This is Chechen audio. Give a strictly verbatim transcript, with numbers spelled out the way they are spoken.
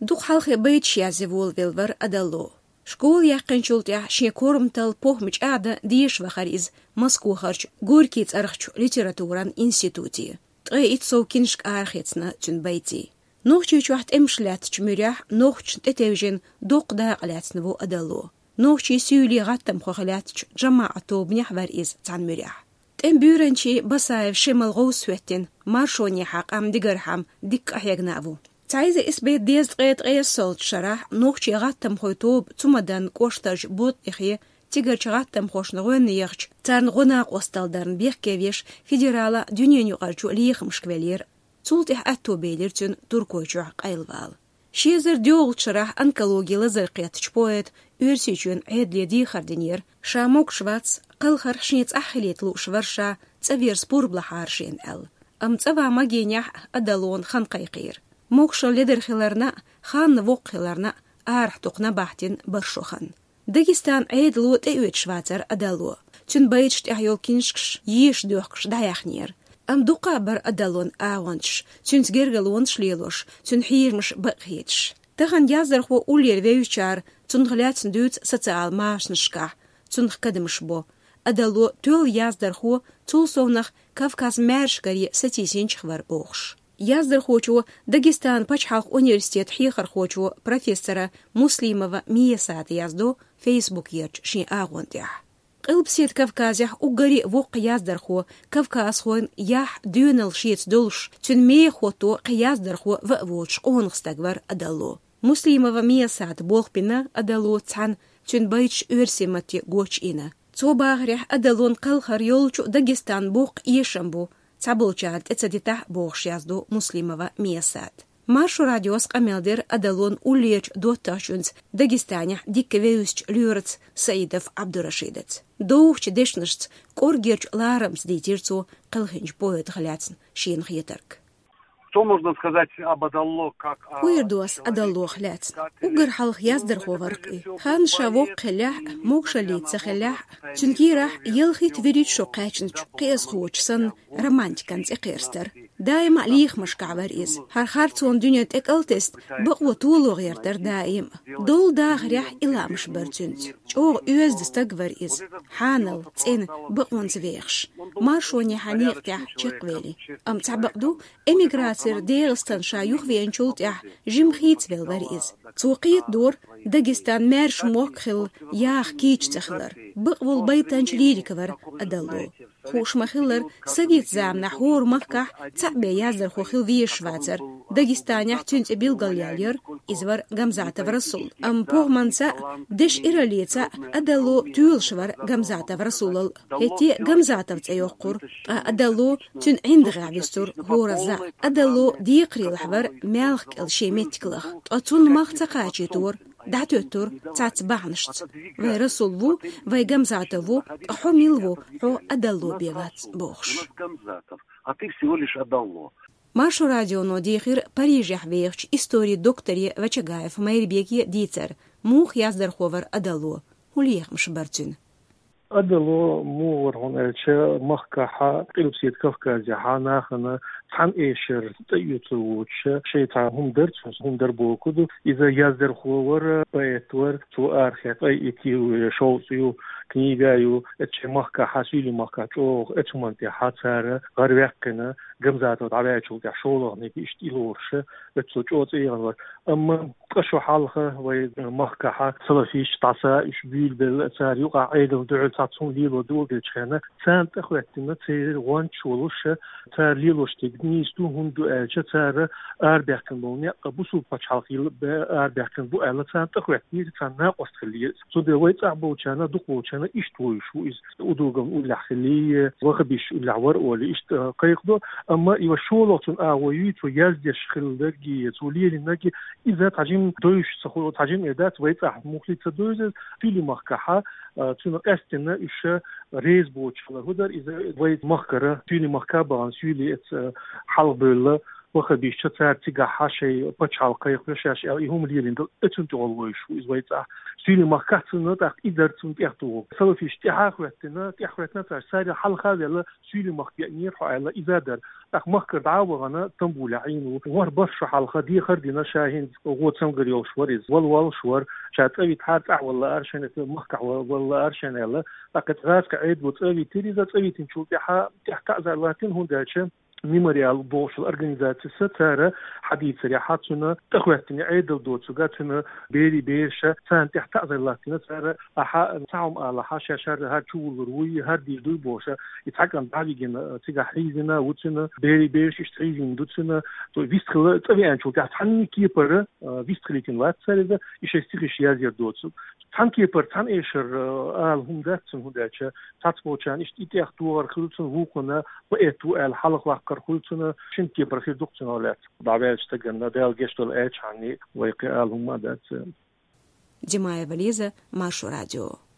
Дукха хьалхе байташ язъе волавелла вар Адалло. Школа яьккхинчул тӀехьагӀа шен корматал, похӀма чӀагӀдан деша вахар из Москвахарчу Горький цӀарахчу литературан институте. Ткъе итт сов киншка арахецна цуьнан байтийн. Нохчийчохь тӀемаш лаьттачу муьрехь нохчашна тӀетевжина доккха дакъа лаьцна ву Адалло. Нохчийн суьйле гӀаттамхо хилла лаьттачу жамаӀат тобанехь вара иза цхьана муьрехь. ТӀеман буьйранчий Басаев Шемал гӀовс хӀоьттина, маршонехьа къам дигархьама дикка къахьегна а ву. Цхьа эзар исс бӀе дезткъе ткъайоьсналгӀачу шарахь нохчийн гӀаттамхойн тоба Цумадан кӀоштарчу Ботъихе, цигарчу гӀаттамхошна гӀоьнна яхча, царна гӀо-накъосталла дарна бехке веш, федералан а, дуьненан юкъарчу а лехамашка веллера. Цул тӀаьхьа аьтто белира цуьнан Туркойчохь къайлавала. Ши эзар доьалгӀачу шарахь онкологин лазар кхеттачу поэта Оьрсийчоьнан Ӏедале дехар динера, ша могуш вац, кхалхарх шен цӀахь хилийта лууш вара ша, цӀа верза пурба лахьара шена аьлла. Амма цӀа ван магийнехь Адаллона хан кхайкхийра. Могушалла ледара хиларна а, ханна воккха хиларна а, арахь дукха набахтина бара шо хан. Дагестан Ӏедало тӀеоьцуш вацара Адалло. Цуьнан байташ тӀехь йолу киншкаш еша доьхкуш дӀаяьхнера. Амма дуккха а бара Адаллон агӀончаш, цуьнца гергарлонаш лелош, цуьнан хьежамаш бакъхьоьцуш. Тахана яздархо уллера вевзачара цунах лаьцна дуьйцу социал машанашкахь, цунах кадамаш бо. Адалло тоьлла яздархо, цул совнах Кавказ маьршкаре сатийсинчех вара бохуш. Яздархочо Дагестанан пачхьалкхан университетан хьехархочо, профессора Муслимова Миясата яздо Фейсбукерчу шен агӀон тӀехь. Къилбаседа Кавказехь уггаре а воккха яздархо, кавказхойн яхь, доьналла шеца долуш, цуьнан мехо хӀотто кхин яздархо ва а воцуш къонах стаг вара Адалло. Муслимова Миясата болх бина Адаллоца цхьаьна, цуьнан байташ оьрсийн матте гочйина. Цо бахарехь, Адаллон кхалхар йолчу Дагестанан боккха эшам бу, цхьаболчара тӀе ца дитахь а бохуш яздо Муслимова Миясата. Маршо радиос къамел дира Адаллон уллерчу доттагӀчуьнца, Дагестанехь дикка вевзачу лоьраца Саидов Абдурашидаца. Довхачу дешнашца, кӀоргерчу ларамца дийцира цо кхелхинчу поэтах лаьцна шена хетарг. Что можно сказать об Адалло как о... ХӀун эр ду ас Адаллох лаьцна? Уггар хьалха яздархо вара-кх и. Ханна ша воккха хиллехь а, могушаллица ца хиллехь а, цуьнан кийрахь ялхитта-вуьрхӀитта шо кхаьчначу кхиазхочун санна романтикан цӀе кхерстара. Даима а лехамашкахь вара иза. ХӀара харцонан дуьне тӀекӀалтесна, бакъо толо гӀертара даима а. Долу дахарехь и лаамаш бара цуьнца. ЧӀогӀа оьзда стаг вара иза. Хьанал, цӀена, бакъонца вехаш. Маршонехьа некъа тӀехь чекхвели. Амма цхьабакъ ду, эмиграцера ДегӀастан ша юхавеанчул тӀаьхьа жимма хийцавелла вара иза. Цо кхетадора, Дагестан маьрша мохк хилла яха кийча ца хилар. Бакъволу байтанча лирик вара Адалло. Хууш ма-хиллара, совет заманахь хӀора махкахь цхьаъ бен яздархо хила везаш вацара. Дагестанехь цуьнан цӀе билгалъяьллера, иза вара Гамзатов Расул. Амма похӀманца а, дешан ираллица а Адалло тоьлуш вара Гамзатов Расулал. ХӀетте а Гамзатов цӀе йоккхура, ткъа Адалло цуьнан ӀиндагӀехь вистура хӀора заа. Адалло декхарийлахь вара маьлхан кӀел шен меттиг лаха, ткъа цунна мах ца кхачийтора, дӀатоьттура цхьацца бахьанашца. Вай Расул ву, вай Гамзатов ву, ткъа хьо мила ву, хьо Адалло бен вац, бохуш. А ты всего лишь Адалло. Маршо радионо дийхира Парижехь вехачу историн докторе Вачагаев Майрбеке дийцар, муха яздархо вара Адалло, хӀун лехамаш бара цуьнан. Адалло муха вара хьуна аьлча, махкахьа, Къилбаседа Кавказехьа нахана цхьана эшар тӀеоьцур воцуша, шайн цхьа хӀума дара цуьнан, хӀума дара бохург ду. Иза яздархо вара, поэт вара, цо арахецна ткъе итт ю, шовзткъа ю, книга ю, эцу шайн махкахьа, Суьйлийн махкахь чӀогӀа эцу хӀуманна тӀехьа цара гӀараваьккхина, Гамзатов дӀаваьллачул тӀаьхьа шолгӀаниг иштта и лоруша, эцу цо чӀогӀа цӀе яхана вара. Амма ткъа шо хьалха вай махкахьа салафисташ дӀаса уьш буьйлабелла, цара юкъахь Ӏедална дуьхьал цхьацца хӀума лело доладелчу хенахь, царна тӀехӀоьттина церан гӀончаш волуша, цара лелош дерг нийса ду, хӀунда ду аьлча, цара арабаьккхина болу некъ бусулба пачхьалкх йилла бен арабаьккхина бу аьлла, царна тӀехӀоьттинера, царна накъост хиллера. Цундела вай цӀахь болчарна, дукхахболчарна иштта вуьйцуш ву иза. Удуговн уллехь хиллий, ваххабисташ уллехь вара олий, иштта кхайкхадо. Амма и вай шолгӀа цуьнан агӀо юй, цо яздеш хилла дерг, цо лелийна дерг, иза тхьажимма довзуш ца хуьлу, тхьажимма эр дац, вай цӀахь муххале ца довзу иза. Суьйлийн махкахьа, а, цунна къаьстина уьш реза боцуш хилар хӀун дара, иза вай махкара, Суьйлийн махка а бахана, Суьйли эцу, а, хьалхабевлла, ваххабисташа цара цигахьа шайн пачхьалкх кхайкхо шаьш аьлла, и хӀума лелийна дара, эцунна тӀехула вуьйцуш ву иза вай цӀахь. Суьйлийн махкахь цунна тӀаккха и дара цунна тӀехтуху. Салафисташ тӀаьхьа а хӀоьттина, тӀаьхьа хӀоьттина цара, царел хьалха а ваьлла, Суьйлийн махка веанера хьо аьлла, иза а дара. ТӀаккха махкара дӀа а вахана, Стамбуле Ӏийна ву. ВорхӀ-бархӀ шу хьалха дехар а дина, ша хӀинца гӀо цамгар йолуш вара иза. Вала волуш вара, ша цӀа вита хьара цӀахь вала лаар шена, махкахь ва-, вала лаар шена аьлла. ТӀаккха гӀазкхи Ӏедало цӀа а витира иза, цӀа витинчул тӀаьхьа, тӀаьхьа таӀзар латтина, хӀунда аьлча Мемориал бохуш йолу организацис цара хьадийцарехь, цуьнан тӀехӀоьттина Ӏедал доцург, цуьнан берийн бераш, царна тӀехь таӀзар латтина цара, ахьа цхьа хӀума алахь, ша шарра хӀара чувуллур вуй, хӀара дийр дуй бохуш, и цхьа кӀант дӀа а вигина, цигахь хьийзина ву цуьнан, берийн бераш иштта хьийзина ду цуьнан, то вистхила цӀа веанчул тӀаьхьа цхьанний кепара, а, вистхилийтина вац цара иза, и шайн стихаш язъяр доцург. Цхьана кепара, цхьана эшара, а, ала хӀума дац цуьнан, хӀунда аьлча цхьацболчарна иштта и тӀех догӀар хуьлу цуьнан, вукхунна поэт ву аьлла хьалха ваккхар хуьлу цуьнан, шина кепара хир ду-кх цуьнан лаьцна. ДӀаваьллачу стагана Дала гечдойла аьлча хьанний вай кхин ала хӀума а дац. Димаева Лиза, Маршо радио.